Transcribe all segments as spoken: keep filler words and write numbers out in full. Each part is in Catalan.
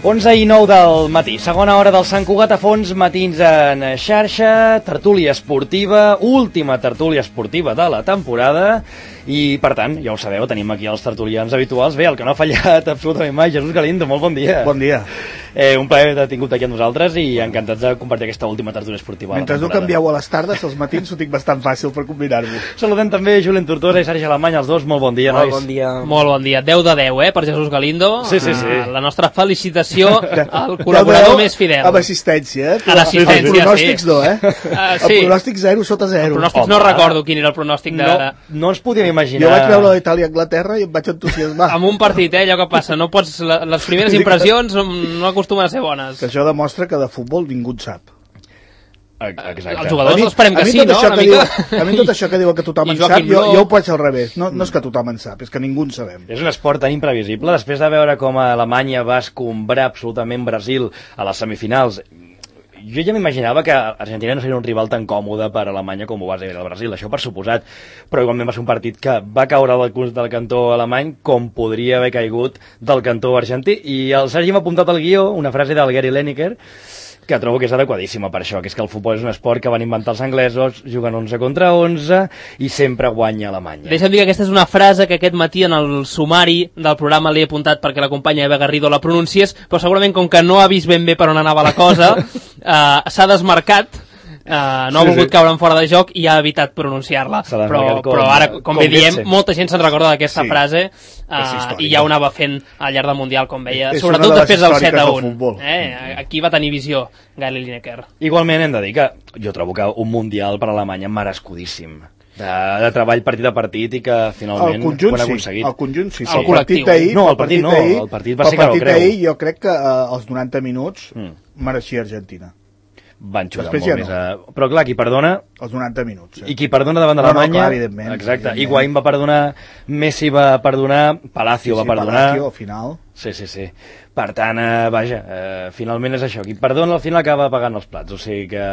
onze i nou del matí, segona hora del Sant Cugat a fons, matins en xarxa, tertúlia esportiva, última tertúlia esportiva de la temporada, i per tant, ja ho sabeu, tenim aquí els tertulians habituals. Bé, el que no ha fallat absolutament mai, Jesús Galindo, molt bon dia. Bon dia. Eh, un plaer de tingut aquí amb nosaltres i encantats de compartir aquesta última tertúlia esportiva. Mentre no canvieu a les tardes, els matins ho tinc bastant fàcil per combinar-vos. Saludem també Julen Tortosa i Sergi Alemany, els dos, molt bon dia, molt nois. Bon dia. Molt bon dia, deu de deu, eh, per Jesús Galindo. Sí, sí, sí. Uh, la nostra felicitació al col·laborador més fidel. Amb assistència, eh? A l'assistència, els pronòstics sí. no, eh? Uh, el sí. pronòstic zero sota zero. El pronòstic, no recordo quin era el pronòstic de... No, no ens podíem imaginar... Jo vaig veure l'Itàlia-Anglaterra i em vaig entusiasmar. Amb un partit, eh, allò que passa, no pots... Les primeres impressions no acostumen a ser bones. Que això demostra que de futbol ningú en sap. Exacte. Els jugadors esperem que sí, no? Una mica... diu, a mi tot això que diuen que tothom en sap, jo, jo ho pots al revés. No, no és que tothom en sap, és que ningú en sabem. És un esport tan imprevisible. Després de veure com Alemanya va escombrar absolutament Brasil a les semifinals, jo ja m'imaginava que Argentina no seria un rival tan còmode per a Alemanya com ho va ser el Brasil, això per suposat, però igualment va ser un partit que va caure del, del cantó alemany com podria haver caigut del cantó argentí, i el Sergi m'ha apuntat al guió una frase del Gary Lineker que trobo que és adequadíssima per això, que és que el futbol és un esport que van inventar els anglesos, juguen onze contra onze i sempre guanya Alemanya. Deixa'm dir que aquesta és una frase que aquest matí en el sumari del programa l'he apuntat perquè la companya Eva Garrido la pronuncies, però segurament com que no ha vist ben bé per on anava la cosa, eh, s'ha desmarcat, Uh, no ha sí, volgut sí. caure en fora de joc i ha evitat pronunciar-la, però, com, però ara, com, com bé diem, vence. molta gent se'n recorda d'aquesta sí. frase uh, i ja ho anava fent al llarg del Mundial, com veia, és sobretot de després del set a un. Del eh? Aquí va tenir visió Gary Lineker. Igualment hem de dir que jo trobo que un Mundial per a Alemanya merescudíssim. De, de treball partit a partit i que finalment el conjunt, ho han sí, aconseguit. el conjunt sí, el el partit d'ahir, no, el partit no, el partit va ser que no creu. d'ahir jo crec que uh, als noranta minuts mm. mereixia Argentina. Van xutar Després molt ja més no. a... Però clar, qui perdona... Els noranta minuts. Eh? I qui perdona davant de no, l'Alemanya... No, clar, evidentment. Exacte. Evidentment. Higuaín va perdonar, Messi va perdonar, Palacio sí, sí, va perdonar... Palacio, al final... Sí, sí, sí. Per tant, eh, vaja, eh, finalment és això. Qui perdona al final acaba pagant els plats. O sigui que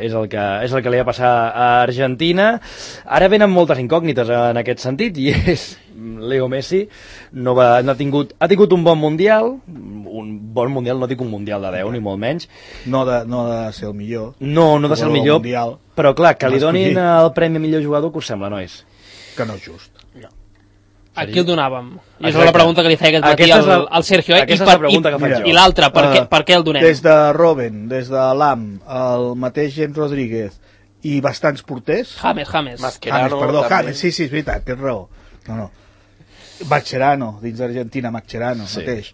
és el que, és el que li va passar a Argentina. Ara venen moltes incògnites en aquest sentit, i és Leo Messi no, va, no ha, tingut, ha tingut un bon mundial, un bon mundial, no dic un mundial de deu, ni molt menys. No de, no de ser el millor. No, no de ser el millor, mundial, però clar, que li donin el premi a millor jugador, que us sembla, nois? Que no és just. No. A qui el donàvem? I és la pregunta que li feia aquest matí al, la, al Sergio. Eh? Aquesta I, per, és la pregunta que faig jo. I l'altra, per, uh, per què el donem? Des de Robben, des de Lam, el mateix James Rodríguez i bastants porters... James, James. Mascherano, James, perdó, James, sí, sí, és veritat, tens raó. No, no. Mascherano, dins d'Argentina, Mascherano, sí. mateix.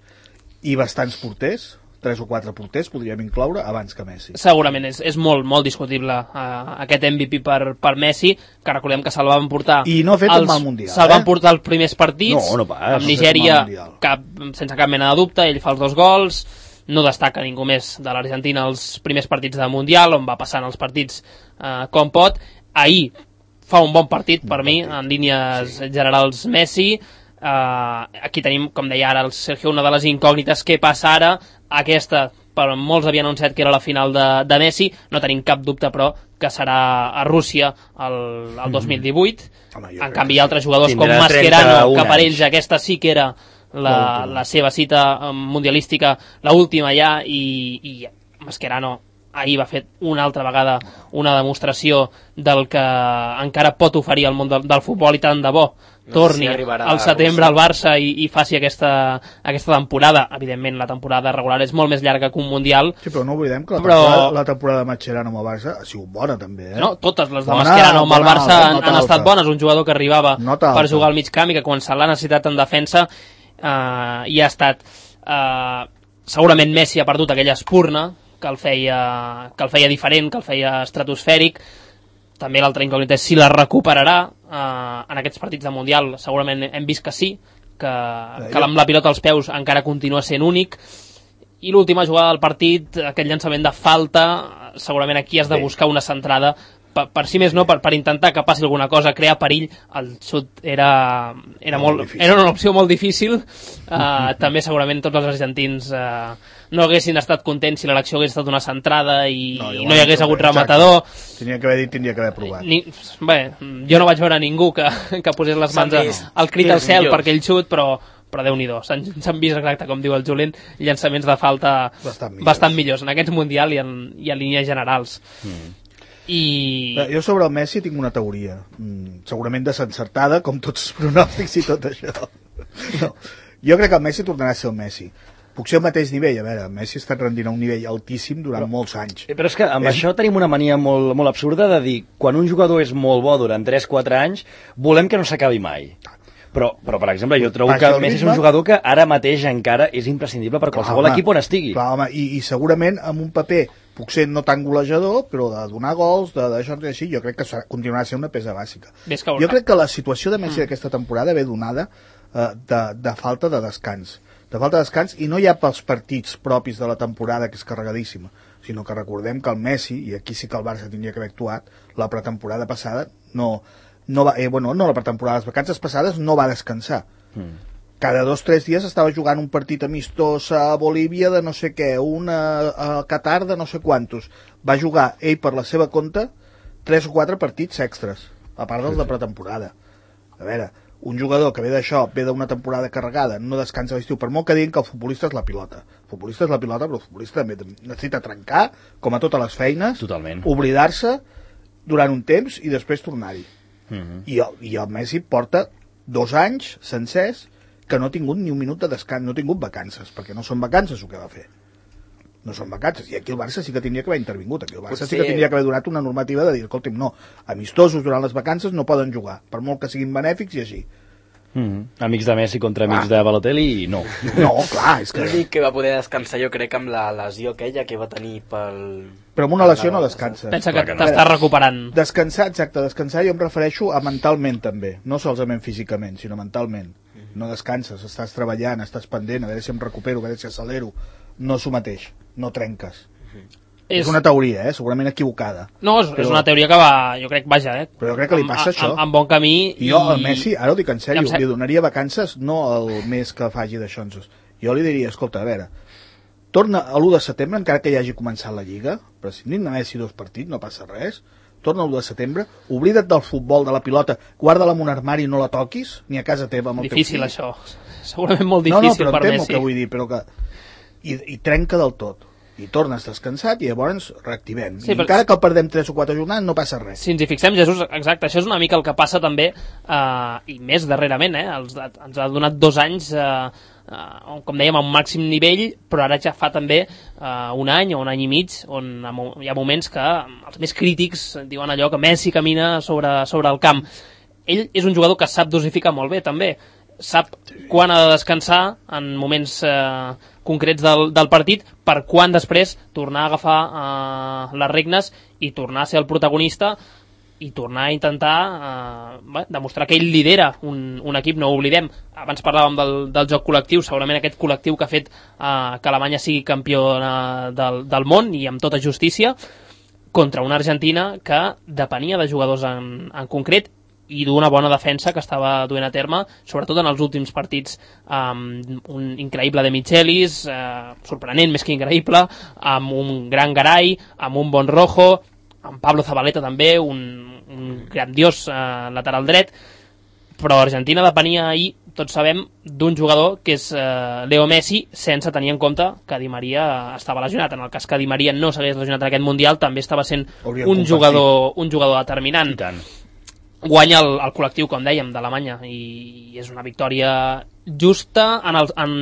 I bastants porters, tres o quatre porters podríem incloure abans que Messi. Segurament és, és molt, molt discutible uh, aquest M V P per, per Messi, que recordem que se'l van portar... I no ha fet els, un mal mundial, se'l eh? van portar els primers partits, no, no pas, amb Nigèria, cap, sense cap mena de dubte, ell fa els dos gols, no destaca ningú més de l'Argentina els primers partits de Mundial, on va passant els partits uh, com pot. Ahir fa un bon partit per bon mi, partit. En línies sí. generals Messi. Uh, aquí tenim, com deia ara el Sergio, una de les incògnites. Què passa ara? Aquesta, però molts havien anunciat que era la final de, de Messi, no tenim cap dubte però que serà a Rússia el, el dos mil divuit. Home, en canvi altres jugadors com Mascherano, que per ells aquesta sí que era la, la seva cita mundialística, la última ja, i, i Mascherano ahir va fer una altra vegada una demostració del que encara pot oferir el món del, del futbol, i tant de bo torni no sé si al setembre al Barça i, i faci aquesta, aquesta temporada. Evidentment la temporada regular és molt més llarga que un mundial. Sí, però no oblidem que la, però... temporada, la temporada de Mascherano amb el Barça ha sigut bona també, eh? No, totes les de bona, Mascherano amb el Barça alta, han, han estat bones. Un jugador que arribava per jugar al mig camp i que quan se l'ha necessitat en defensa eh, i ha estat eh, segurament Messi ha perdut aquella espurna que el feia, que el feia diferent, que el feia estratosfèric. També l'altra incògnita és si la recuperarà eh, en aquests partits de Mundial. Segurament hem vist que sí, que, que amb la pilota als peus encara continua sent únic. I l'última jugada del partit, aquest llançament de falta, segurament aquí has de buscar una centrada per, per si més no, per, per intentar que passi alguna cosa, crear perill. El xut era, era, molt, molt era una opció molt difícil. Uh, també segurament tots els argentins uh, no haguessin estat contents si l'elecció hagués estat una centrada i no, i no hi hagués hagut rematador. Tenia que haver dit, tindria que haver provat. Ni, bé, jo no vaig veure ningú que, que posés les mans al crit al cel per aquell xut, però, però Déu-n'hi-do, s'han vist exacte com diu el Julen, llançaments de falta bastant millors, bastant millors en aquest Mundial i, en, i en línies generals. Mm. I... Jo sobre el Messi tinc una teoria, mm, segurament desencertada, com tots els pronòstics i tot això. No. Jo crec que el Messi tornarà a ser el Messi. Puc ser al mateix nivell, a veure, Messi ha estat rendint a un nivell altíssim durant però, molts anys. Però és que amb és... això tenim una mania molt, molt absurda de dir, quan un jugador és molt bo durant tres quatre anys, volem que no s'acabi mai. Però, però, per exemple, jo trobo que Messi és un jugador que ara mateix encara és imprescindible per qualsevol clar, home, equip on estigui. Clar, home, i, i segurament amb un paper, puc ser no tan golejador, però de donar gols, de d'això i així, jo crec que continuarà sent una peça bàsica. Jo crec que la situació de Messi mm. d'aquesta temporada ve donada eh, de, de falta de descans. De falta de descans, i no hi ha pels partits propis de la temporada, que és carregadíssima, sinó que recordem que el Messi, i aquí sí que el Barça tindria que haver actuat, la pretemporada passada no... No va, eh, bueno, no la pretemporada, les vacances passades no va descansar. Mm. Cada dos o tres dies estava jugant un partit amistós a Bolívia de no sé què, un a, a Qatar de no sé quantos. Va jugar ell per la seva compte tres o quatre partits extras, a part dels de pretemporada. A veure, un jugador que ve d'això, ve d'una temporada carregada, no descansa a l'estiu, per molt que diguin que el futbolista és la pilota. El futbolista és la pilota, però el futbolista també necessita trencar, com a totes les feines, totalment, oblidar-se durant un temps i després tornar-hi. Uh-huh. I, el, i el Messi porta dos anys sencers que no ha tingut ni un minut de descans, no ha tingut vacances, perquè no són vacances el que va fer, no són vacances, i aquí el Barça sí que tindria que haver intervingut, aquí el Barça Potser... sí que tindria que haver donat una normativa de dir, escolta'm, no, amistosos durant les vacances no poden jugar, per molt que siguin benèfics i així. Mm-hmm. Amics de Messi contra amics ah. de Balotelli, no. No, clar, és que... L'únic que va poder descansar jo crec amb la lesió aquella que va tenir pel... Però amb una lesió no descansa. Pensa que t'estàs recuperant. Descansar, exacte, descansar jo em refereixo a mentalment també, no solament físicament, sinó mentalment. No descanses, estàs treballant, estàs pendent, a veure si em recupero, a veure si acelero. No s'ho mateix, no trenques. És... és una teoria, eh? Segurament equivocada. No, és, però... és una teoria que va, jo crec, vaja, eh? Però jo crec que li passa amb, això. Amb, amb bon camí. I jo, al Messi, ara ho dic en sèrio, li donaria vacances no el mes que faci d'aixonses. Jo li diria, escolta, a veure, torna a l'u de setembre, encara que ja hagi començat la Lliga, prescindint de Messi dos partits, no passa res, torna l'u de setembre, oblida't del futbol, de la pilota, guarda-la en un armari i no la toquis, ni a casa teva amb el difícil, teu fill. Això. Segurament molt difícil no, no, per Messi. No, no, però Messi. entenc el que vull dir, però que... I, i trenca del tot. I tornes descansat i llavors reactivem. Sí, I encara que el perdem tres o quatre jornades no passa res. Si ens hi fixem, Jesús, exacte, això és una mica el que passa també, eh, i més darrerament, eh, els, ens ha donat dos anys, eh, eh, com dèiem, a un màxim nivell, però ara ja fa també eh, un any o un any i mig, on hi ha moments que els més crítics diuen allò que Messi camina sobre, sobre el camp. Ell és un jugador que sap dosificar molt bé, també. Sap quan ha de descansar en moments eh, concrets del, del partit, per quan després tornar a agafar eh, les regnes i tornar a ser el protagonista i tornar a intentar eh, bé, demostrar que ell lidera un, un equip. No ho oblidem, abans parlàvem del, del joc col·lectiu, segurament aquest col·lectiu que ha fet eh, que Alemanya sigui campió eh, del, del món, i amb tota justícia, contra una Argentina que depenia de jugadors en, en concret i d'una bona defensa que estava duent a terme, sobretot en els últims partits, amb un increïble de Michelis, eh, sorprenent més que increïble, amb un gran Garay, amb un bon Rojo, amb Pablo Zabaleta també, un, un grandiós eh, lateral dret, però Argentina depenia ahir, tots sabem, d'un jugador que és eh, Leo Messi, sense tenir en compte que Di Maria estava lesionat. En el cas que Di Maria no s'hagués lesionat en aquest Mundial, també estava sent un jugador, un jugador determinant. I tant. Guanya el, el col·lectiu, com dèiem, d'Alemanya, i és una victòria justa en el, en,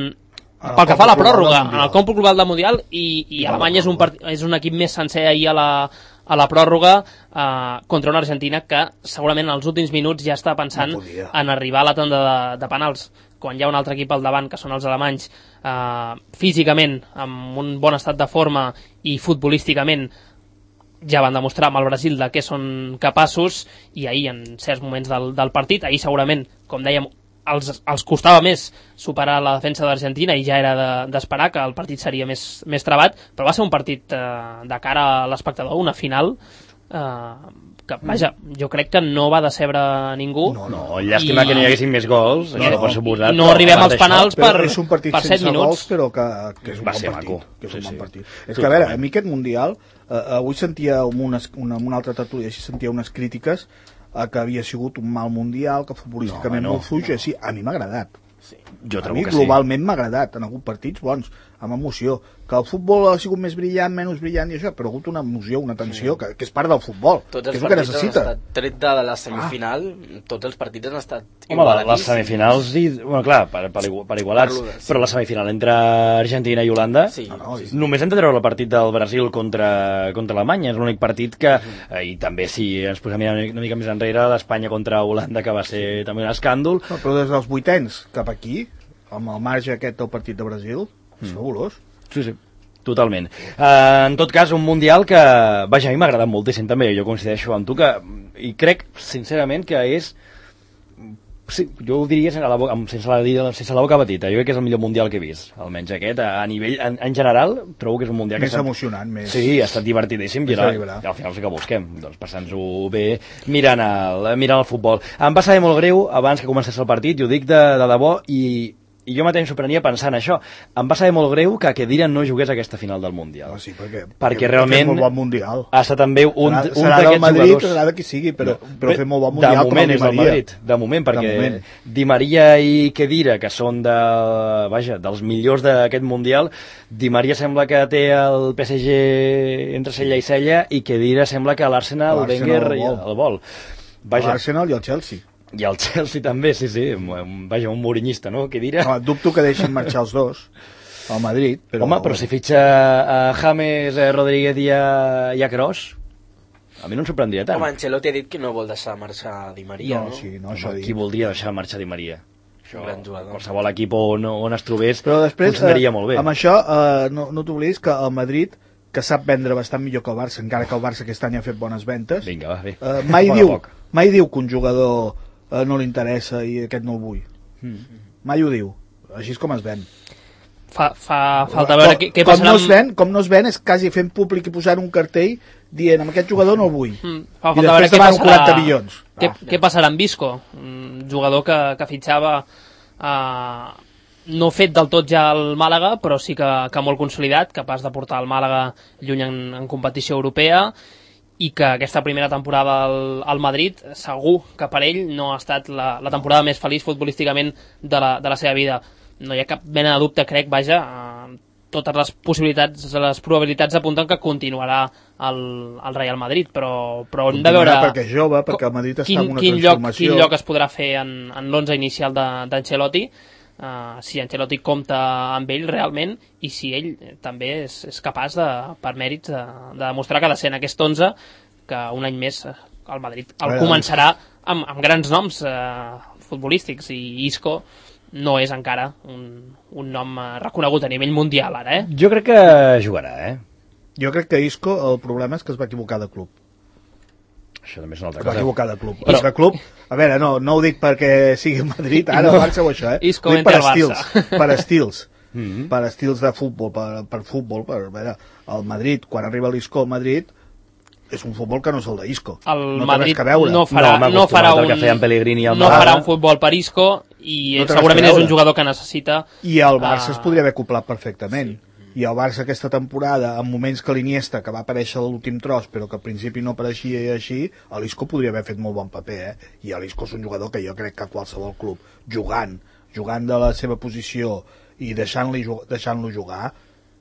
pel que fa a la pròrroga, en el còmput global del Mundial, i, i Alemanya és un, part, és un equip més sencer ahir a la, a la pròrroga eh, contra una Argentina que segurament en els últims minuts ja està pensant no en arribar a la tanda de, de penals, quan hi ha un altre equip al davant, que són els alemanys, eh, físicament, amb un bon estat de forma i futbolísticament, ja van demostrar amb el Brasil de què són capaços, i ahir en certs moments del, del partit, ahir segurament, com dèiem, els, els costava més superar la defensa d'Argentina i ja era d'esperar de, que el partit seria més, més trebat, però va ser un partit eh, de cara a l'espectador, una final eh, que, vaja, jo crec que no va decebre ningú. No, no, llàstima I... que no hi haguessin més gols, no, no, per suposat. No arribem als penals per, és un partit per set minuts. Gols, però que, que és un va bon ser partit. maco. Que és un sí, bon sí. partit. És que, a veure, a mi aquest Mundial, eh, avui sentia amb una, una, una altra tertúlia, així sentia unes crítiques a que havia sigut un mal Mundial, que futbolísticament no, no, molt fluix, no. Així, a mi m'ha agradat. Sí. Jo a trobo mi que globalment sí. m'ha agradat, han hagut partits bons, amb emoció. Que el futbol ha sigut més brillant, menys brillant i això, però ha hagut una emoció, una tensió, sí. que, que és part del futbol, tots que és els el que partits han necessita. estat, tret de la semifinal, ah. tots els partits han estat Home, la, les semifinals, i, bueno, clar, per, per, per igualats, per sí. però la semifinal entre Argentina i Holanda, sí. no, no, sí. només hem de treure el partit del Brasil contra, contra Alemanya, és l'únic partit que, eh, i també si ens posem una, una mica més enrere, l'Espanya contra Holanda, que va ser també un escàndol. No, però des dels vuitens cap aquí, amb el marge aquest del partit de Brasil, és mm. fabulós. Sí, sí. Totalment. Uh, en tot cas, un Mundial que, vaja, a mi m'ha agradat moltíssim també, jo coincideixo amb tu, que, i crec, sincerament, que és, sí, jo ho diria sense la boca, sense la, sense la boca petita, jo crec que és el millor Mundial que he vist, almenys aquest, a, a nivell, en, en general, trobo que és un Mundial més que... Més emocionant, més... Sí, ha estat divertidíssim, i, ara, i al final sí que busquem, doncs passant-nos bé mirant el, mirant el futbol. Em va saber molt greu, abans que comencés el partit, i ho dic de, de debò, i... I jo mateix em sorprenia pensant això. Em va saber molt greu que Khedira no jugués a aquesta final del Mundial. Ah, sí, perquè, perquè, perquè realment molt bon mundial. ha estat també un, serà, un serà d'aquests Madrid, jugadors... Serà de qui sigui, però, no, però fer molt bon mundial de moment com el és el Madrid, de moment, perquè de moment. Di Maria i Khedira, que són de, vaja, dels millors d'aquest mundial, Di Maria sembla que té el P S G entre cella i cella, i Khedira sembla que l'Arsenal, el Wenger, el vol. El vol. L'Arsenal i el Chelsea. I el Chelsea també, sí, sí, vaja, un mourinhista, no?, que dirà... No, dubto que deixin marxar els dos al Madrid, però... Home, però si fitxa a James, a Rodríguez i a, i a Kroos, a mi no em sorprendria tant. Home, Ancelotti ha dit que no vol deixar marxar Di Maria, no? No, sí, no, això Home, qui voldria deixar marxar Di Maria? Això, un gran jugador. Qualsevol equip on, on es trobés però després, funcionaria eh, molt bé. Amb això, eh, no, no t'oblidis que el Madrid, que sap vendre bastant millor que el Barça, encara que el Barça aquest any ha fet bones ventes, Vinga, va, bé. Eh, mai, diu, mai diu que un jugador eh, no li interessa i aquest no el vull. Mm. Mai ho diu. Així és com es ven. Fa, fa falta veure què, què com passarà no es ven, com no es ven és quasi fent públic i posant un cartell dient amb aquest jugador no el vull. Mm. Fa I després demanen quaranta milions. Què, ah. què passarà amb Visco? Un jugador que, que fitxava eh, no fet del tot ja al Màlaga, però sí que, que molt consolidat, capaç de portar el Màlaga lluny en, en competició europea, i que aquesta primera temporada al, al Madrid, segur que per ell no ha estat la, la temporada més feliç futbolísticament de la, de la seva vida. No hi ha cap mena de dubte, crec, vaja, eh, totes les possibilitats, les probabilitats apunten que continuarà el, el Real Madrid, però, però hem de veure... perquè és jove, perquè el Madrid està quin, en una quin transformació... Lloc, quin lloc es podrà fer en, en l'onze inicial d'Ancelotti, Uh, si Ancelotti compta amb ell realment i si ell també és, és capaç de, per mèrits de, de demostrar que ha de ser en aquest onze que un any més el Madrid el veure, començarà amb, amb grans noms uh, futbolístics, i Isco no és encara un, un nom uh, reconegut a nivell mundial ara, eh? Jo crec que jugarà, eh? Jo crec que Isco el problema és que es va equivocar de club. Això també és una altra cosa. Es va equivocar de club. Però... Però club, a veure, no, no ho dic perquè sigui Madrid, ara el Barça o això, eh? Isco ho dic per el estils, per estils, mm-hmm. per estils de futbol, per, per futbol, per, a veure, el Madrid, quan arriba l'Isco al Madrid, és un futbol que no és el d'Isco. El no Madrid veure. no farà, no, no farà un, no farà un futbol per Isco, i no segurament és un jugador que necessita... I el Barça uh... es podria haver acoplat perfectament. Sí. I el Barça aquesta temporada, en moments que l'Iniesta, que va aparèixer a l'últim tros, però que al principi no apareixia i així, l'Isco podria haver fet molt bon paper, eh? I l'Isco és un jugador que jo crec que qualsevol club, jugant, jugant de la seva posició i deixant-lo deixant jugar,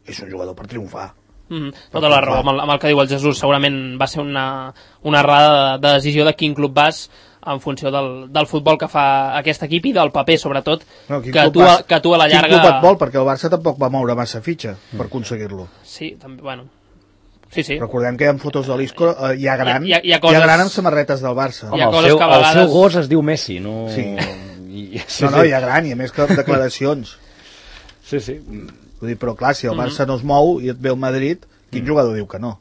és un jugador per triomfar. Mm, tota la raó, amb el, amb el que diu el Jesús, segurament va ser una, una errada de decisió de quin club vas, en funció del, del futbol que fa aquest equip i del paper, sobretot, no, que, tu, vas, que tu a la llarga... Quin club et vol? Perquè el Barça tampoc va moure massa fitxa mm. per aconseguir-lo. Sí, també, bueno... Sí, sí. Recordem que hi ha fotos de l'Isco, eh, hi ha gran, hi ha, hi ha, coses... hi ha gran amb samarretes del Barça. Home, el, seu, vegades... el seu gos es diu Messi, no... Sí. I, sí, no, no, hi ha gran, i a més que declaracions. Sí, sí. Vull dir, però clar, si el Barça mm-hmm. no es mou i et ve el Madrid, quin mm. jugador diu que no?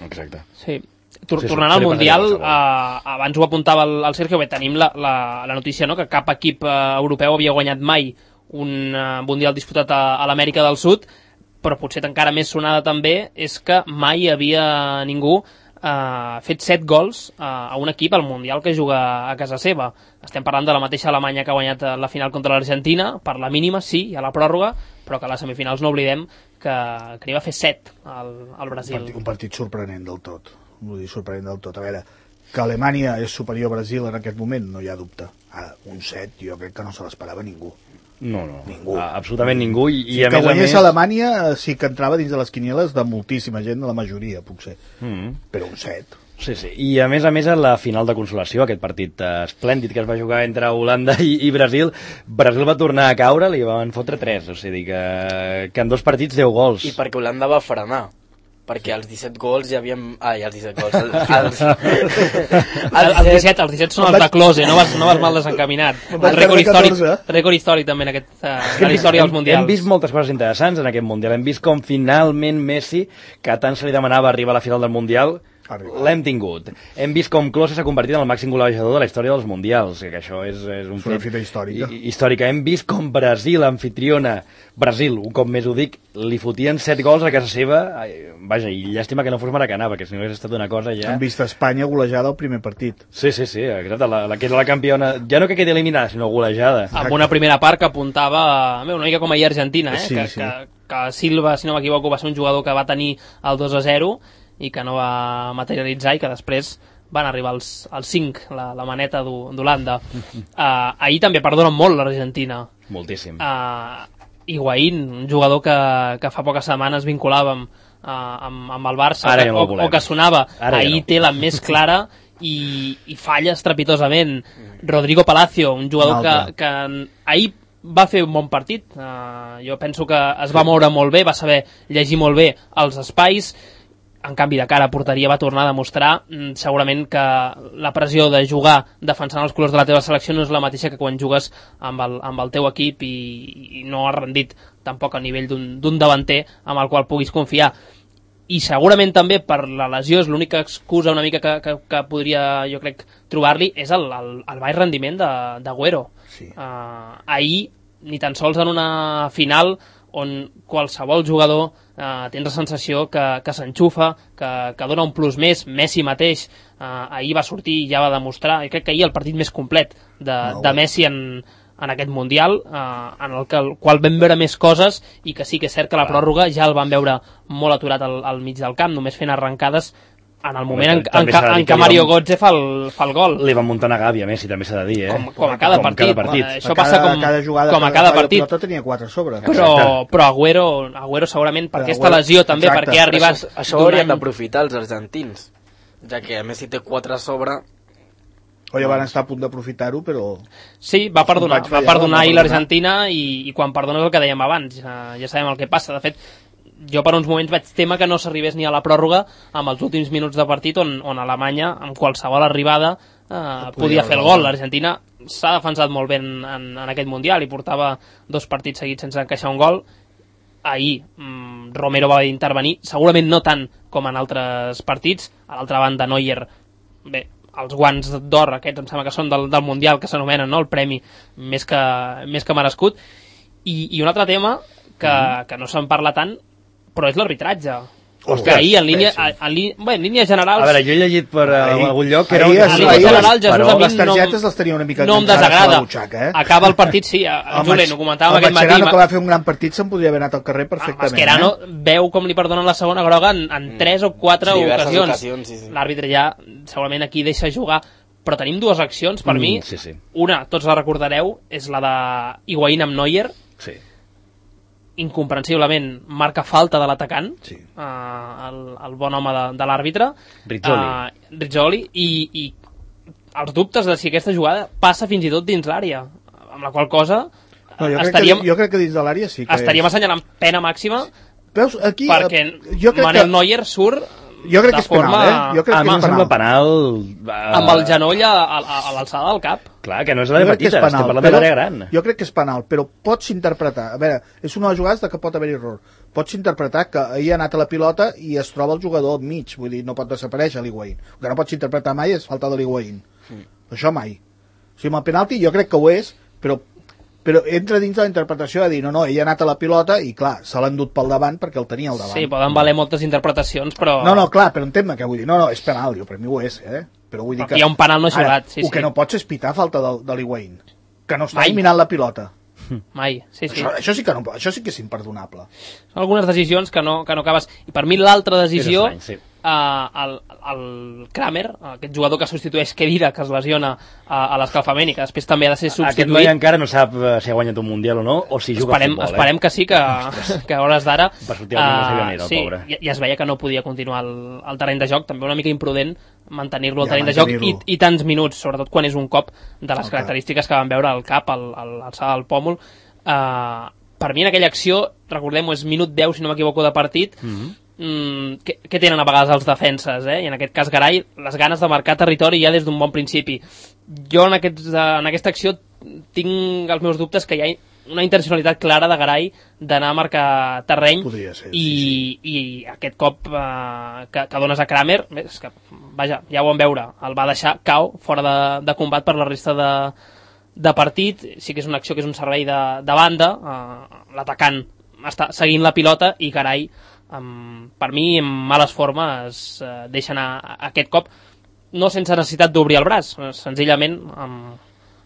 Exacte. Sí. Tornant al Mundial, eh, abans ho apuntava el, el Sergio, bé, tenim la, la, la notícia, no?, que cap equip eh, europeu havia guanyat mai un eh, Mundial disputat a, a l'Amèrica del Sud, però potser encara més sonada també és que mai havia ningú eh, fet set gols eh, a un equip al Mundial que juga a casa seva. Estem parlant de la mateixa Alemanya que ha guanyat la final contra l'Argentina, per la mínima, sí, hi ha la pròrroga, però que a les semifinals no oblidem que, que n'hi va fer set al, al Brasil. Un partit, un partit sorprenent del tot. Vull dir, sorprenent del tot. A veure, que Alemanya és superior a Brasil en aquest moment, no hi ha dubte. Ara, un set, jo crec que no se l'esperava ningú. No, no, ningú. Ah, absolutament ningú. I, sí, i a que més guanyés a més... Alemanya sí que entrava dins de les quinieles de moltíssima gent, de la majoria, potser. Mm. Però un set. Sí, sí. I a més a més a la final de consolació, aquest partit eh, esplèndid que es va jugar entre Holanda i, i Brasil, Brasil va tornar a caure, li van fotre tres, o sigui que, que en dos partits deu gols. I perquè Holanda va frenar. Perquè als disset gols ja havíem... Ai, als disset gols... Els, els, els, disset, els disset són els de Klose, no vas, no vas mal desencaminat. El rècord històric, rècord històric també en, aquest, en la història dels mundials. Hem vist moltes coses interessants en aquest mundial. Hem vist com finalment Messi, que tant se li demanava arribar a la final del mundial, l'hem tingut. Hem vist com Klose s'ha convertit en el màxim golejador de la història dels mundials, que això és, és un fet fita històrica. històrica. Hem vist com Brasil, anfitriona, Brasil, un cop més ho dic, li fotien set gols a casa seva. Vaja, i llàstima que no fos Maracanà, perquè si no hagués estat una cosa ja... Hem vist Espanya golejada al primer partit. Sí, sí, sí, exacte, la, la que era la campiona, ja no que quedi eliminada, sinó golejada. Amb una primera part que apuntava, bé, una mica com ahir Argentina, eh? Sí, que, sí. Que, que Silva, si no m'equivoco, va ser un jugador que va tenir el dos a zero i que no va materialitzar i que després van arribar als, als cinc, la, la maneta d'Holanda. Uh, ahir també perdonen molt l'Argentina. Moltíssim. Uh, Higuaín, un jugador que, que fa poques setmanes vinculàvem uh, amb, amb el Barça, ja no o, o que sonava. Ara ahir ja no. té la més clara i, i falla estrepitosament. Rodrigo Palacio, un jugador que, que ahir va fer un bon partit. Uh, jo penso que es va moure molt bé, va saber llegir molt bé els espais. En canvi, de cara a porteria va tornar a demostrar mm, segurament que la pressió de jugar defensant els colors de la teva selecció no és la mateixa que quan jugues amb el, amb el teu equip i, i no has rendit tampoc a nivell d'un davanter amb el qual puguis confiar. I segurament també per la lesió és l'única excusa una mica que, que, que podria, jo crec, trobar-li és el, el, el baix rendiment d'Agüero. Sí. Uh, ahir, ni tan sols en una final on qualsevol jugador eh, tens la sensació que, que s'enxufa, que, que dona un plus més. Messi mateix eh, ahir va sortir i ja va demostrar, i crec que ahir el partit més complet de, no, de Messi en, en aquest Mundial, eh, en el, que, el qual vam veure més coses i que sí que és cert que la pròrroga ja el vam veure molt aturat al, al mig del camp, només fent arrencades en el moment en, en, en, en què Mario Götze fa el, fa el gol. Li va muntar una gàbia, Messi, també s'ha de dir, eh? Com, com a cada com partit. Cada partit. Això a passa cada, com, cada jugada, com a cada partit. Però tenia quatre a sobre. Però, però Agüero, Agüero segurament per aquesta lesió també, exacte, perquè ha arribat... Això, això haurien d'aprofitar els argentins, ja que Messi té quatre a sobre... Oye, van estar a punt d'aprofitar-ho, però... Sí, va perdonar, va perdonar ahir l'Argentina i, i quan perdones el que dèiem abans, ja, ja sabem el que passa. De fet, jo per uns moments vaig témer que no s'arribés ni a la pròrroga amb els últims minuts de partit on, on Alemanya, amb qualsevol arribada, eh, podia fer el gol. L'Argentina s'ha defensat molt bé en, en, en aquest Mundial i portava dos partits seguits sense encaixar un gol. Ahir mm, Romero va intervenir, segurament no tant com en altres partits. A l'altra banda, Neuer, bé, els guants d'or aquests em sembla que són del, del Mundial, que s'anomenen, no?, el premi més que, més que merescut. I, i un altre tema que, mm-hmm. que no se'n parla tant, però és l'arbitratge. Ostres, ahir, en línia, en, en, bé, en línies generals... A veure, jo he llegit per ahir, algun lloc que era... Ahir, un... ahir, en línies generals, Jesús, però, a mi les targetes no, les tenia una mica no em desagrada. Butxaca, eh? Acaba el partit, sí, a Julen, ho comentàvem aquest matí. El Mascherano, que va fer un gran partit, se'n podria haver anat al carrer perfectament. Mascherano eh? veu com li perdonen la segona groga en, en tres o quatre sí, ocasions. ocasions sí, sí. L'àrbitre ja segurament aquí deixa jugar, però tenim dues accions, per mm, mi. Sí, sí. Una, tots la recordareu, és la de Higuaín amb Neuer. Sí. Incomprensiblement marca falta de l'atacant, sí. uh, el, el bon home de, de l'àrbitre, Rizzoli, uh, Rizzoli i, i els dubtes de si aquesta jugada passa fins i tot dins l'àrea, amb la qual cosa no, jo, estaríem, crec que, jo crec que dins de l'àrea sí que estaríem és. assenyalant pena màxima. Veus, aquí, perquè jo crec Manuel que... Neuer surt jo crec que és forma... penal, eh? Jo crec ah, que és penal. penal uh... amb el genoll a, a, a l'alçada del cap. Clar, que no és l'àrea petita, penal, estem parlant de l'àrea gran. Jo crec que és penal, però pots interpretar... A veure, és una de les jugades de que pot haver error. Pots interpretar que ahir ha anat a la pilota i es troba el jugador al mig, vull dir, no pot desaparèixer l'Higuaín. El que no pots interpretar mai és falta de l'Higuaín. Mm. Això mai. O sigui, amb el penalti jo crec que ho és, però però entra dins de la interpretació de dir, no, no, ell ha anat a la pilota i, clar, se l'ha endut pel davant perquè el tenia al davant. Sí, poden valer moltes interpretacions, però... No, no, clar, però entén-me què vull dir. No, no, és penal, jo, per mi ho és, eh? Però vull dir que... Hi ha un penal no jugat, sí, sí. El que no pots és pitar falta de, de l'Higuaín, que no està mirant la pilota. Mai, sí, sí. Això, això, sí que no, això sí que és imperdonable. Són algunes decisions que no, que no acabes... I per mi l'altra decisió, estrany, sí. Uh, el, el Kramer, aquest jugador que substitueix Kedira, que es lesiona a, a l'escalfament i que després també ha de ser substituït. Aquest noi encara no sap si ha guanyat un Mundial o no, o si juga esperem, a futbol. Esperem eh? que sí, que, que a hores d'ara per sortir uh, no sabia el sí, pobre. I, i es veia que no podia continuar el, el terreny de joc, també una mica imprudent mantenir-lo al ja, terreny de joc i, i tants minuts, sobretot quan és un cop de les okay. característiques que vam veure al cap, al, al, alçada del pòmul. Uh, per mi en aquella acció, recordem-ho, és minut deu, si no m'equivoco, de partit, mm-hmm. Mm, què, què tenen a vegades els defenses, eh? I en aquest cas Garay, les ganes de marcar territori ja des d'un bon principi. Jo en, aquests, en aquesta acció tinc els meus dubtes que hi ha una intencionalitat clara de Garay d'anar a marcar terreny ser, i, sí, sí. i aquest cop eh, que, que dones a Kramer, és que, vaja, ja ho vam veure, el va deixar cau fora de, de combat per la resta de, de partit. Sí que és una acció que és un servei de, de banda, eh, l'atacant està seguint la pilota i Garay Um, per mi en males formes uh, deixa anar aquest cop, no sense necessitat d'obrir el braç, senzillament amb,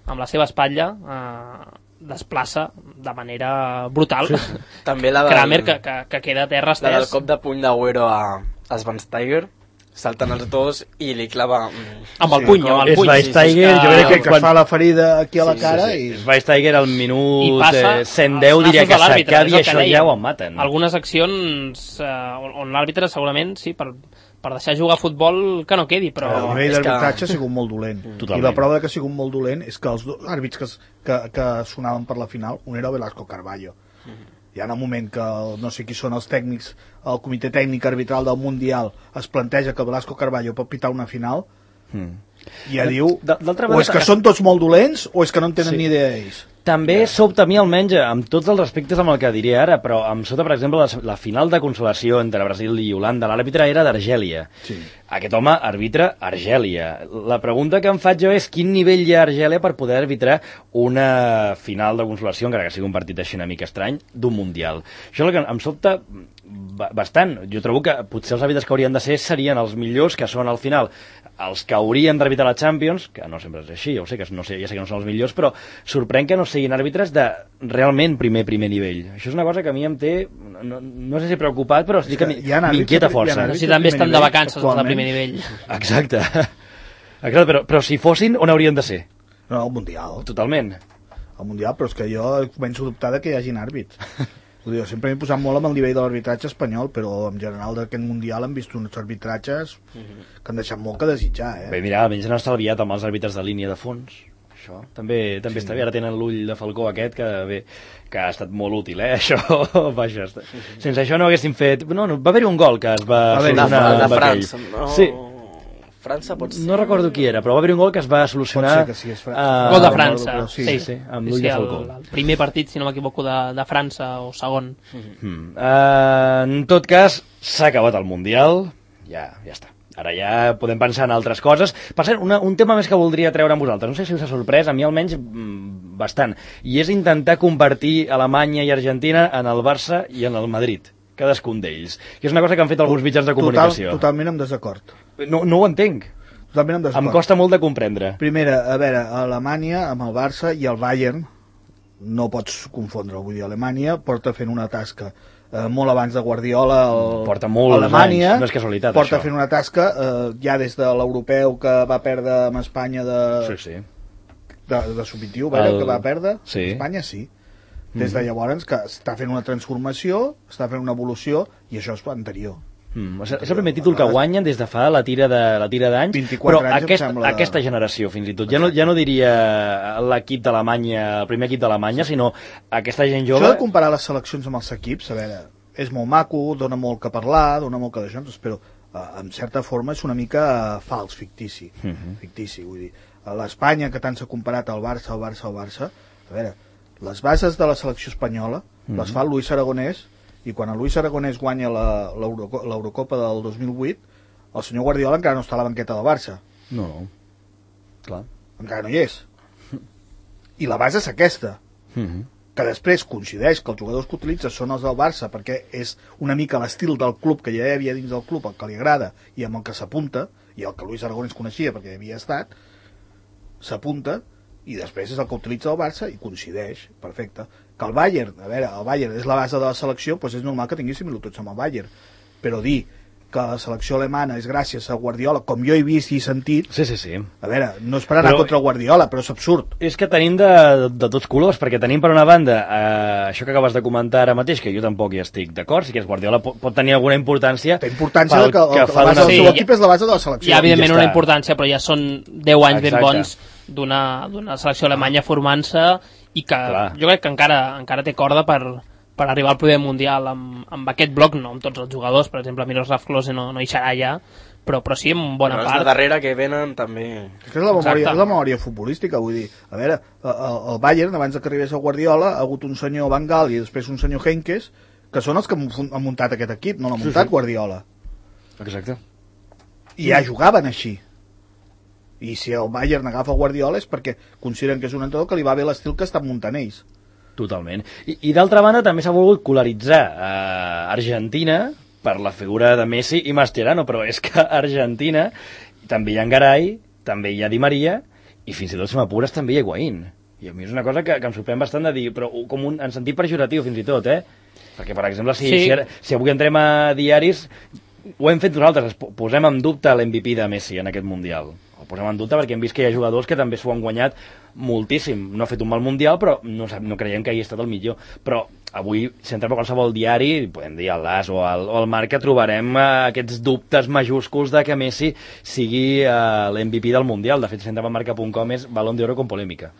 amb la seva espatlla uh, desplaça de manera brutal sí, sí. També la del, Kramer que, que, que queda a terra estès. La del cop de puny d'Agüero a, a Schweinsteiger, salten els dos i li clava amb el puny, sí, amb el puny. Schweinsteiger, sí, sí, jo crec que, que quan... fa la ferida aquí a la sí, cara sí, sí. i... Schweinsteiger al minut cent deu diria que s'acabi això ja ho maten. Algunes accions eh, on l'àrbitre segurament, sí, per, per deixar jugar a futbol que no quedi, però... El nivell d'arbitratge que... ha sigut molt dolent. Totalment. I la prova que ha sigut molt dolent és que els dos àrbits que, que, que sonaven per la final, un era Velasco Carballo. Mm-hmm. Hi ha un moment que el, no sé qui són els tècnics, el comitè tècnic arbitral del Mundial es planteja que Velasco Carballo pot pitar una final mm. i ja diu o és que són tots molt dolents o és que no en tenen sí. ni idea ells. També yeah. sobta a mi almenys, amb tots els respectes amb el que diré ara, però em sobta, per exemple, la, la final de consolació entre Brasil i Holanda, l'àrbitre era d'Argèlia. Sí. Aquest home arbitra Argèlia. La pregunta que em faig jo és quin nivell hi ha a Argèlia per poder arbitrar una final de consolació, encara que sigui un partit així una mica estrany, d'un Mundial. Això és el que em sobta bastant. Jo trobo que potser els àrbitres que haurien de ser serien els millors, que són al final els que haurien d'arbitrar la Champions, que no sempre és així, ja, ho sé, que no sé, ja sé que no són els millors, però sorprèn que no siguin àrbitres de realment primer primer nivell. Això és una cosa que a mi em té, no, no sé si preocupat, però sí que m'inquieta força. Si també estan de vacances els de primer nivell. Exacte. Exacte, però, però si fossin, on haurien de ser? No, al Mundial. Totalment. Al Mundial, però és que jo començo a dubtar de que hi hagin àrbits. Jo sempre m'he posat molt amb el nivell de l'arbitratge espanyol, però en general d'aquest Mundial hem vist uns arbitratges que han deixat molt que desitjar. Eh? Bé, mira, almenys han estalviat amb els àrbitres de línia de fons. Això també també sí. està bé. Ara tenen l'ull de Falcó aquest, que bé, que ha estat molt útil, eh? Això, vaja, sense això no haguéssim fet... No, no, va haver-hi un gol que es va solucionar de, de França, no? Sí. França pot ser... No recordo qui era, però va haver un gol que es va solucionar... Pot ser que sí, és França. Uh, gol de França. Sí, sí, sí, amb l'ull sí, de Falcó. El, el primer partit, si no m'equivoco, de, de França, o segon. Mm. Uh, en tot cas, s'ha acabat el Mundial, ja, ja està. Ara ja podem pensar en altres coses. Per cert, una, un tema més que voldria treure amb vosaltres, no sé si us ha sorprès, a mi almenys mm, bastant, i és intentar convertir Alemanya i Argentina en el Barça i en el Madrid, cadascun d'ells, que és una cosa que han fet alguns mitjans de comunicació. Total, totalment en desacord. No, no ho entenc. Totalment en desacord. Em costa molt de comprendre. Primera, a veure, Alemanya amb el Barça i el Bayern, no pots confondre, vull dir, Alemanya porta fent una tasca eh, molt abans de Guardiola el... porta molts Alemanya, anys, no és casualitat porta això. fent una tasca eh, ja des de l'europeu que va perdre amb Espanya de sí, sí. de, de sub vint-i-u, el... que va perdre sí. Espanya sí, des de llavors que està fent una transformació, està fent una evolució i això és anterior. Mm, és, és el primer títol que guanyen des de fa la tira de la tira d'anys, però aquest, sembla... aquesta generació fins i tot, ja no, ja no diria l'equip d'Alemanya, el primer equip d'Alemanya, sinó aquesta gent jove. Això de comparar les seleccions amb els equips, a veure, és molt maco, dona molt que parlar, dona molt que d'això, però eh, en certa forma és una mica fals, fictici, uh-huh. fictici, vull dir, a l'Espanya que tant s'ha comparat al Barça, al Barça, al Barça, a veure, les bases de la selecció espanyola uh-huh. les fa el Luis Aragonès, i quan el Luis Aragonès guanya l'Eurocopa del dos mil vuit, el senyor Guardiola encara no està a la banqueta del Barça. No, no. Clar. Encara no hi és. I la base és aquesta. Uh-huh. Que després coincideix que els jugadors que utilitza són els del Barça, perquè és una mica l'estil del club que ja hi havia dins del club, el que li agrada i amb el que s'apunta, i el que Luis Aragonès coneixia perquè hi havia estat, s'apunta, i després és el que utilitza el Barça i coincideix, perfecte. Que el Bayern, a veure, el Bayern és la base de la selecció, doncs és normal que tingui similituds amb el Bayern, però dir que la selecció alemana és gràcies a Guardiola, com jo he vist i sentit. Sí, sí, sí. A veure, no és per anar però, contra Guardiola, però és absurd. És que tenim de, de tots colors, perquè tenim per una banda eh, això que acabes de comentar ara mateix, que jo tampoc hi estic d'acord, sí que és Guardiola pot, pot tenir alguna importància. Té importància que, que, que la base del seu equip és la base de la selecció. Hi ha, evidentment, ja una importància, però ja són deu anys ben bons d'una selecció alemanya formant-se i que Clar. jo crec que encara, encara té corda per... per arribar al primer mundial amb, amb aquest bloc, no amb tots els jugadors, per exemple Miroslav Klose no, no hi serà ja, però, però sí en bona però part. Els de darrere que venen també... És que és la memòria, és la memòria futbolística, vull dir, a veure, el, el Bayern, abans que arribés el Guardiola, ha hagut un senyor Van Gaal i després un senyor Henkes, que són els que han muntat aquest equip, no l'ha muntat sí, sí. Guardiola. Exacte. I ja jugaven així. I si el Bayern agafa Guardiola és perquè consideren que és un entrenador que li va bé l'estil que estan muntant ells. Totalment. I, i d'altra banda també s'ha volgut polaritzar eh, Argentina per la figura de Messi i Mascherano, però és que a Argentina també hi ha Garay, també hi ha Di Maria i fins i tot, si m'apures, també hi ha Higuaín. I a mi és una cosa que, que em sorprèn bastant de dir, però com un, en sentit pejoratiu fins i tot, eh? Perquè, per exemple, si, sí. si, si avui entrem a diaris, ho hem fet nosaltres, posem en dubte l'M V P de Messi en aquest Mundial. Ho posem en dubte perquè hem vist que hi ha jugadors que també s'ho han guanyat moltíssim. No ha fet un mal Mundial, però no, no creiem que hagi estat el millor. Però avui, si entrem a qualsevol diari, podem dir el L'As o el, o el Marca, trobarem eh, aquests dubtes majúsculs de que Messi sigui eh, l'M V P del Mundial. De fet, si entrem a marca punt com és Balón d'Oro con polèmica.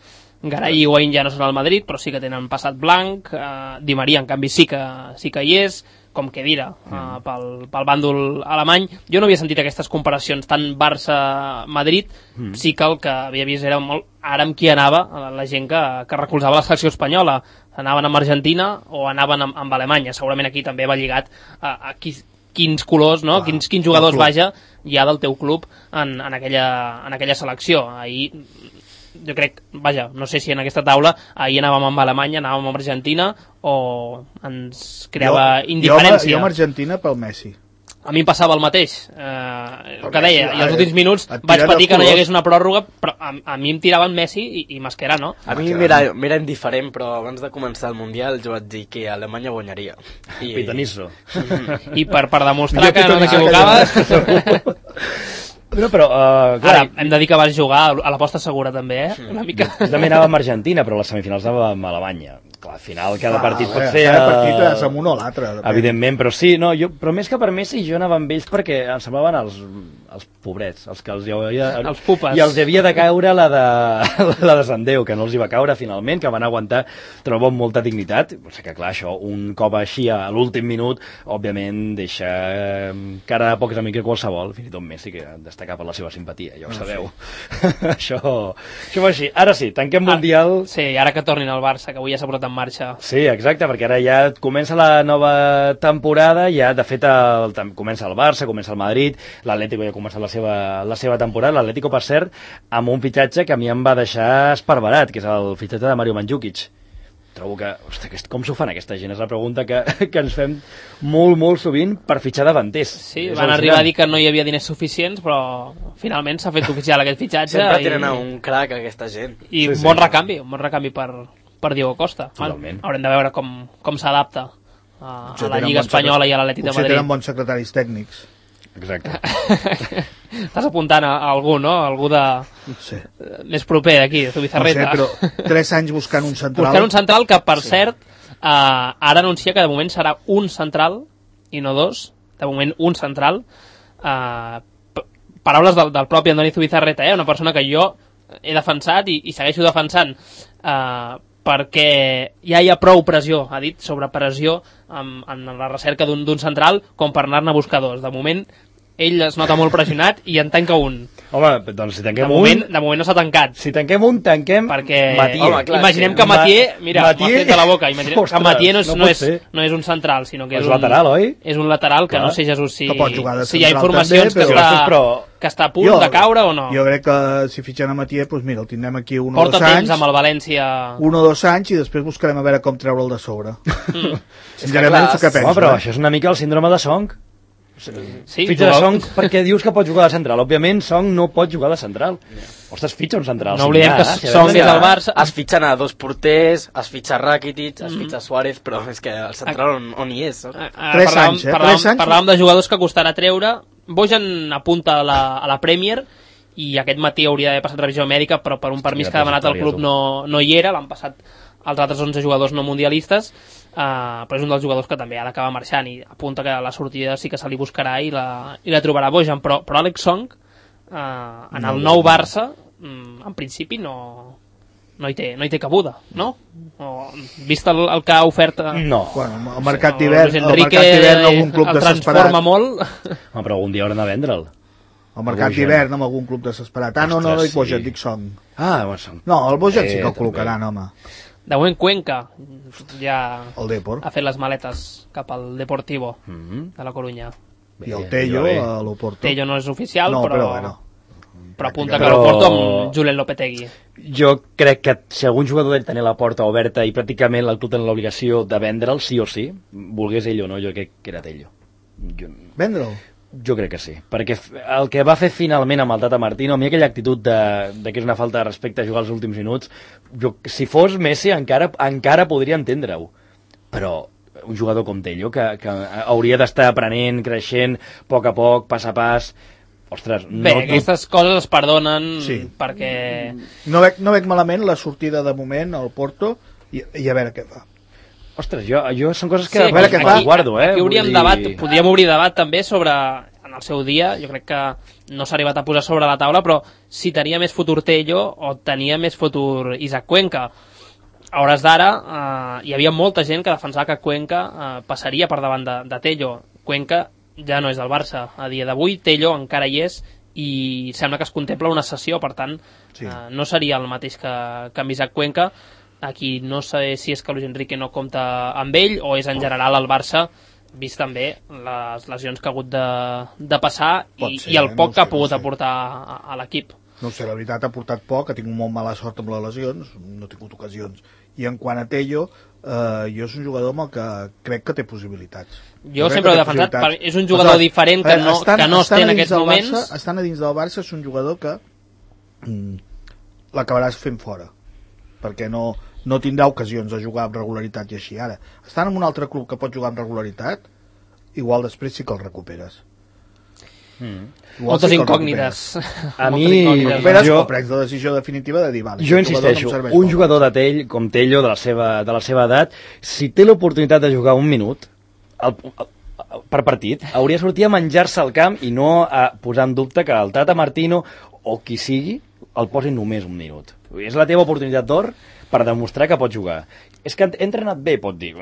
Garay i Higuaín ja no són al Madrid, però sí que tenen passat blanc. Eh, Di Maria, en canvi, sí que, sí que hi és, com que dira, mm. uh, pel, pel bàndol alemany. Jo no havia sentit aquestes comparacions, tant Barça-Madrid, mm. sí que el que havia vist era molt ara amb qui anava la gent que, que recolzava la selecció espanyola. Anaven amb Argentina o anaven amb, amb Alemanya. Segurament aquí també va lligat a, a qui, quins colors, no? Clar, quins, quins jugadors, vaja, hi ha del teu club en, en, aquella, en aquella selecció. Ahir jo crec, vaja, no sé si en aquesta taula ahir anàvem amb Alemanya, anàvem amb Argentina o ens creava jo, indiferència. Jo, jo amb Argentina pel Messi. A mi em passava el mateix, eh, el que deia, i els últims minuts vaig patir que no hi hagués una pròrroga, però a, a mi em tiraven Messi i, i Mascherano. A mi m'era indiferent, però abans de començar el Mundial jo vaig dir que Alemanya guanyaria. I... Pitanisso. I per, per demostrar que no t'equivocaves... No, però, uh, clar, ara, hem de dir que vas jugar a l'aposta segura també, eh? Una mica. Jo també anava amb Argentina, però a les semifinals anava amb Alemanya. Clar, al final cada ah, partit pot ser... Cada partit és amb un o l'altre. Evidentment, però sí, no, jo, però més que per Messi jo anava amb ells perquè em semblaven els, els pobrets, els que els hi havia... Els pupes. I els havia de caure la de, la de Sant Déu, que no els hi va caure finalment, que van aguantar, trobo, amb molta dignitat. O sigui que, clar, això, un cop així a l'últim minut, òbviament deixa cara de pocs amics qualsevol, fins i tot Messi, que destaca per la seva simpatia, ja ho sabeu. Sí. això, això va així. Ara sí, tanquem ah, Mundial... Sí, ara que tornin al Barça, que avui ja s'ha posat en marxa. Sí, exacte, perquè ara ja comença la nova temporada, ja de fet el, comença el Barça, comença el Madrid, l'Atlético ja ha començat la seva, la seva temporada, l'Atlético, per cert, amb un fitxatge que a mi em va deixar esparverat, que és el fitxatge de Mario Mandzukic. Trobo que, ostres, com s'ho fan aquesta gent? És la pregunta que, que ens fem molt, molt sovint per fitxar davanters. Sí, van arribar a dir que no hi havia diners suficients, però finalment s'ha fet oficial aquest fitxatge. Sempre i... tenen un crack aquesta gent. I sí, un bon sí. recanvi, un bon recanvi per, per Diego Costa. Totalment. Haurem de veure com, com s'adapta a, a la Lliga Espanyola i a l'Atlètic de Madrid. Potser tenen bons secretaris tècnics. Exacte. Estàs apuntant a algú, no? Algú de... Sí. més proper d'aquí, de Zubizarreta. No sé, però tres anys buscant un central... Buscant un central que, per sí. cert, eh, ara anuncia que de moment serà un central i no dos. De moment, un central. Eh, paraules del, del propi Andoni Zubizarreta, eh? Una persona que jo he defensat i, i segueixo defensant eh, perquè ja hi ha prou pressió, ha dit, sobre pressió en, en la recerca d'un central com per anar-ne a buscar dos. De moment, ell es nota molt pressionat i en tanca un. Home, doncs si tanquem de moment, un... De moment no s'ha tancat. Si tanquem un, tanquem perquè... Mathieu. Home, clar, imaginem que Mathieu... Mira, m'ha fet de la boca. Imaginem Ostres, que Mathieu no és, no, no, és, no és un central, sinó que és, és un... lateral, oi? És un lateral que clar. No sé, Jesús, si, si hi ha també, informacions però... que, està, però... que està a punt jo, de caure o no. Jo crec que si fitxen a Mathieu, doncs mira, el tindrem aquí un o Porta dos anys. Porta temps amb el València... Un o dos anys i després buscarem a veure com treure'l de sobre. Mm. Sincerament, és que penso. Home, però això és una mica el síndrome de Song. Sí, fitxa de Song perquè dius que pot jugar de central. Òbviament, Song no pot jugar de central. Ostres, fitxa un central. No oblidem que Song és al Barça. Es fitxen a dos porters, es fitxa Rakitic, es fitxa Suárez, però és que el central on, on hi és? Tres anys, eh? Parlàvem, parlàvem de jugadors que costarà treure. Bojan apunta a la, a la Premier i aquest matí hauria d'haver passat revisió mèdica, però per un permís que ha demanat el club no, no hi era. L'han passat els altres onze jugadors no mundialistes, uh, però és un dels jugadors que també ha d'acabar marxant i apunta que la sortida sí que se li buscarà i la, i la trobarà Bojan, però, però Alex Song uh, en el nou Barça en principi no, no, hi té, no hi té cabuda, no? O, vist el, el que ha ofert no. Bueno, el mercat d'hivern el mercat d'hivern algun club el desesperat transforma molt. No, però algun dia hauran de vendre'l. El mercat d'hivern amb algun club desesperat. Ah, no, no, no dic Bojan, dic Song. Ah, bueno, Song. No, el Bojan sí que el col·locaran, home. De moment Cuenca ja el Depor ha fet les maletes cap al Deportivo mm-hmm. de la Corunya. I el Tello a l'Oporto. Tello no és oficial, no, però, però, bueno, però apunta que l'Oporto amb Julen Lopetegui. Jo crec que si algun jugador d'ell tenia la porta oberta i pràcticament el club tenia l'obligació de vendre'l, sí o sí, volgués ell o no, jo crec que era Tello. Jo... Vendre'l? Jo crec que sí, perquè el que va fer finalment amb el Tata Martino, a mi aquella actitud de, de que és una falta de respecte a jugar els últims minuts, jo, si fos Messi encara, encara podria entendre-ho, però un jugador com Tello, que, que hauria d'estar aprenent, creixent, a poc a poc, pas a pas, ostres... Bé, no, aquestes tu... coses es perdonen sí. perquè... No veig, no veig malament la sortida de moment al Porto i, i a veure què fa. Ostres, jo, jo són coses que sí, aquí, aquí, aquí guardo, eh? Aquí hauríem dir... debat, podríem obrir debat també sobre, en el seu dia, jo crec que no s'ha arribat a posar sobre la taula, però si tenia més futur Tello o tenia més futur Isaac Cuenca. A hores d'ara eh, hi havia molta gent que defensava que Cuenca eh, passaria per davant de, de Tello. Cuenca ja no és del Barça a dia d'avui, Tello encara hi és i sembla que es contempla una cessió, per tant sí. eh, no seria el mateix que, que amb Isaac Cuenca. Aquí no sé si és que Luis Enrique no compta amb ell o és en general el Barça, vist també les lesions que ha hagut de, de passar i, ser, i el poc no sé, que ha pogut no aportar a, a l'equip. No sé, la veritat ha portat poc, ha tingut molt mala sort amb les lesions, no ha tingut ocasions. I en quant a Tello, eh, jo és un jugador amb el que crec que té possibilitats. Jo, jo sempre l'he defensat, per, és un jugador Aleshores, diferent que no, estan, que no es té en aquests moments. Barça, estant a dins del Barça és un jugador que mm, l'acabaràs fent fora, perquè no, no tindrà ocasions de jugar amb regularitat i així. Ara, estant en un altre club que pot jugar amb regularitat, igual després sí que el recuperes. Mm. Moltes sí incògnites. A mi, recuperes jo, o prens la decisió definitiva de dir, vale, jo insisteixo, jugador no un jugador de Tell, com Tello, de la seva, de la seva edat, si té l'oportunitat de jugar un minut el, el, per partit, hauria de sortir a menjar-se al camp i no a posar en dubte que el Tata Martino o qui sigui el posi només un minut. És la teva oportunitat d'or per demostrar que pot jugar. És que he entrenat bé, pot dir.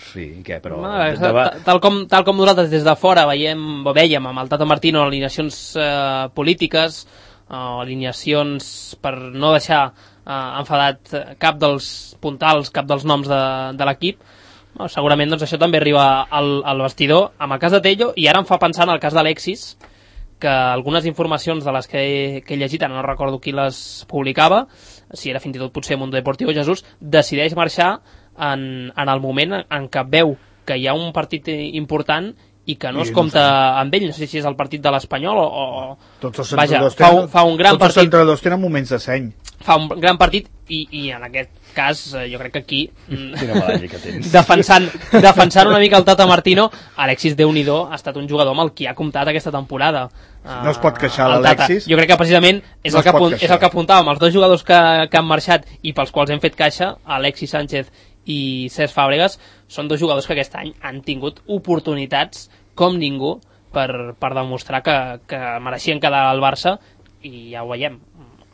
Sí, què, però... No, tal, tal, com, tal com nosaltres des de fora veiem, o veiem amb el Tata Martino alineacions eh, polítiques, eh, alineacions per no deixar eh, enfadat cap dels puntals, cap dels noms de, de l'equip, no, segurament doncs, això també arriba al, al vestidor. Amb el cas de Tello, i ara em fa pensar en el cas d'Alexis, que algunes informacions de les que he, que he llegit, no recordo qui les publicava, si era fins i tot potser Mundo Deportivo, Jesús, decideix marxar en, en el moment en què veu que hi ha un partit important i que no I es compta no amb ell, no sé si és el partit de l'Espanyol o... o... Tots els Vaja, tenen, fa, un, fa un gran tots partit... els entrenadors tenen moments de seny. Fa un gran partit i, i en aquest cas jo crec que aquí Quina medalla que tens. defensant, defensant una mica el Tata Martino, Alexis Déu-n'hi-do ha estat un jugador amb el qui ha comptat aquesta temporada. No es pot queixar l'Alexis. Jo crec que precisament és, no el que apunt, és el que apuntàvem, els dos jugadors que, que han marxat i pels quals hem fet caixa, Alexis Sánchez i Cesc Fàbregas, són dos jugadors que aquest any han tingut oportunitats com ningú per, per demostrar que, que mereixien quedar al Barça i ja ho veiem.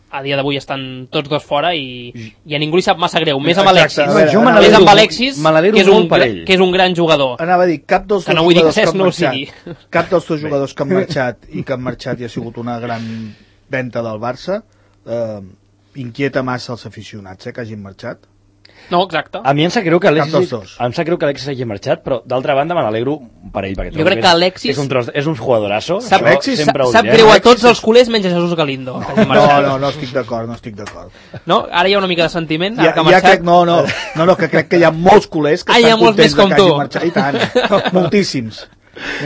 A dia d'avui estan tots dos fora i, i a ningú li sap massa greu, més amb Alexis, veure, més amb Alexis que, és un, que és un gran jugador. Anava a dir, cap dels dos no jugadors que, que han no marxat, cap dels dos jugadors que han marxat i que han marxat i ha sigut una gran venda del Barça, eh, inquieta massa els aficionats eh, que hagin marxat. No, exacte. A mi em sap greu que Alexis, em sap greu que Alexis hagi marxat, però d'altra banda me n'alegro per ell, perquè jo crec que Alexis és un, tros, és un jugadorasso. Sap, Alexis, sap, sap greu a tots els culers menys a Jesús Galindo. No, no, no estic d'acord, no estic d'acord. No? Ara hi ha una mica de sentiment. Ja, ja crec, no, no, no, no, que crec que hi ha molts culers que ah, estan contents de que hagi marxat. I tant, moltíssims.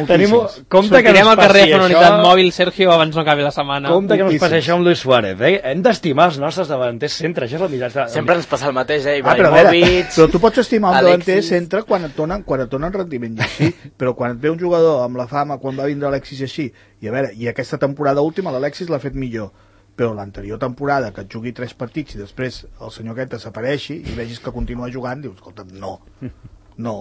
Tenim... Compte que sortirem no al carrer això... a una unitat mòbil, Sergio, abans no acabi la setmana. Compte que no ens passi això amb Luis Suárez, eh? Hem d'estimar els nostres davanters centre, això és el mitjà. Sempre ens passa el mateix, eh? Ah, però, veure, però tu pots estimar un davanter centre quan et donen, quan et donen rendiment i així, però quan et ve un jugador amb la fama, quan va vindre Alexis així, i a veure, i aquesta temporada última l'Alexis l'ha fet millor, però l'anterior temporada que et jugui tres partits i després el senyor aquest desapareixi i vegis que continua jugant, dius, escolta, no, no.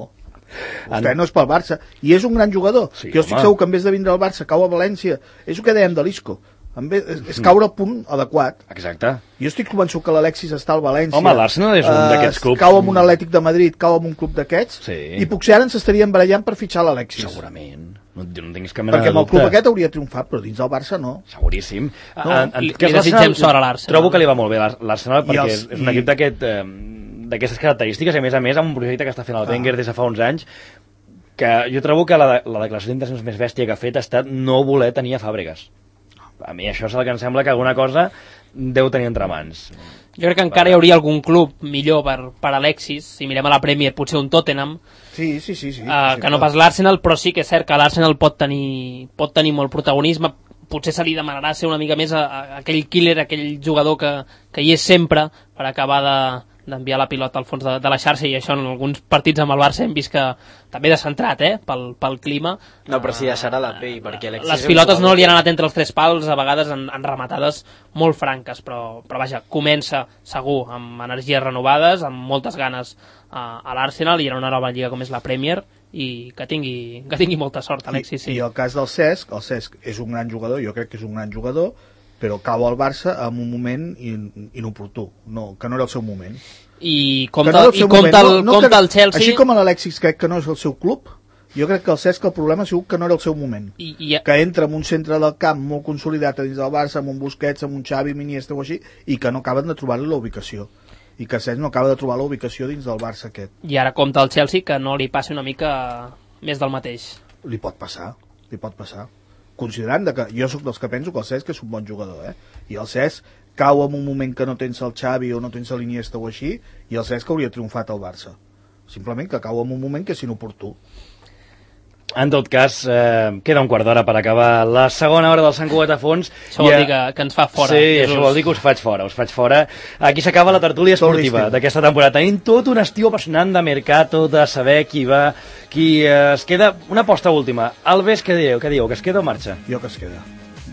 Vostè no és pel Barça, i és un gran jugador, sí, jo estic home. segur que en vez de vindre al Barça cau a València, és el que dèiem de l'Isco, és, és caure al punt adequat. Exacte. Jo estic convençut que l'Alexis està al València. Home, l'Arsenal és un uh, d'aquests clubs. Cau amb un Atlètic de Madrid, cau amb un club d'aquests, sí. I potser ara ens estarien barallant per fitxar l'Alexis. Segurament. No, no tinguis cap mena perquè de dubte. amb el club aquest hauria triomfat, però dins del Barça no. Seguríssim. No, en, en, li, li desitgem sort a l'Arsenal. Trobo que li va molt bé l'Arsenal perquè els, és un i... equip d'aquest... Eh, d'aquestes característiques, i a més a més amb un projecte que està fent el ah. Wenger des de fa uns anys, que jo trobo que la, la declaració d'intencions més bèstia que ha fet ha estat no voler tenir a Fàbregas. A mi això és el que em sembla que alguna cosa deu tenir entre mans. Jo crec que encara hi hauria algun club millor per, per Alexis, si mirem a la Premier, potser un Tottenham, sí, sí, sí, sí, uh, sí que no pas l'Arsenal, però sí que és cert que l'Arsenal pot tenir, pot tenir molt protagonisme, potser se li demanarà ser una mica més a, a aquell killer, aquell jugador que, que hi és sempre per acabar de d'enviar la pilota al fons de, de la xarxa, i això en alguns partits amb el Barça hem vist que també descentrat, eh, pel, pel clima. No, però sí deixarà la pell, perquè Alexis... Les pilotes no li han anat entre els tres pals, a vegades en, en rematades molt franques, però, però vaja, comença segur amb energies renovades, amb moltes ganes a, a l'Arsenal i en una nova lliga com és la Premier, i que tingui, que tingui molta sort, Alexis. Sí. I, I el cas del Cesc, el Cesc és un gran jugador, jo crec que és un gran jugador, però cau al Barça en un moment in, inoportú, no, que no era el seu moment. I compta, no i compta, el, no, no compta el Chelsea... Així com l'Alexis crec que no és el seu club, jo crec que el Cesc el problema ha sigut que no era el seu moment. I, i... Que entra en un centre del camp molt consolidat a dins del Barça, amb un Busquets, amb un Xavi, Iniesta o així, i que no acaben de trobar-li la ubicació. I que Cesc no acaba de trobar la ubicació dins del Barça aquest. I ara compta el Chelsea que no li passi una mica més del mateix. Li pot passar, li pot passar. Considerant que jo sóc dels que penso que el Cesc és un bon jugador, eh? I el Cesc cau en un moment que no tens el Xavi o no tens l'Iniesta o així, i el Cesc hauria triomfat al Barça. Simplement que cau en un moment que és inoportú. En tot cas, eh, queda un quart d'hora per acabar la segona hora del Sant Cugat a fons. Això vol dir que, que ens fa fora. Sí, Jesús. Això vol dir que us faig fora, us faig fora. Aquí s'acaba la tertúlia esportiva d'aquesta temporada. Tenim tot un estiu apassionant de mercato, de saber qui va, qui eh, es queda. Una aposta última. Alves, què dieu? Què dieu? Que es queda o marxa? Jo que es queda.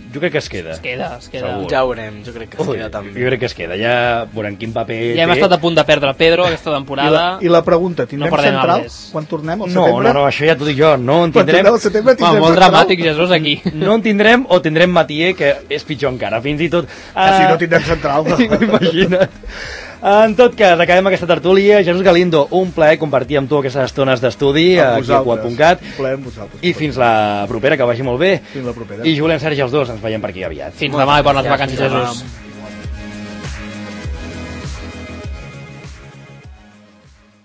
Jo crec que es queda. Es queda, es queda. Segur. Ja ho veurem, jo crec que es Ui, queda també. Jo crec que es queda, ja veurem quin paper ja hem té. estat a punt de perdre Pedro aquesta temporada. I la, i la pregunta, tindrem no central Alves. quan tornem al no, setembre? No, no, això ja t'ho dic jo, no en tindrem. Quan setembre tindrem molt dramàtic, Jesús, aquí. No en tindrem o tindrem Matier, que és pitjor encara, fins i tot... Uh... Ah, si no tindrem central. No. Imagina't. En tot cas, acabem aquesta tertúlia. Jesús Galindo, un plaer compartir amb tu aquestes estones d'estudi aquí a Cugat punt cat. I fins la propera, que vagi molt bé. Fins la propera. I Julián, Sergi, els dos, ens veiem per aquí aviat. Fins demà i bones vacances, Jesús.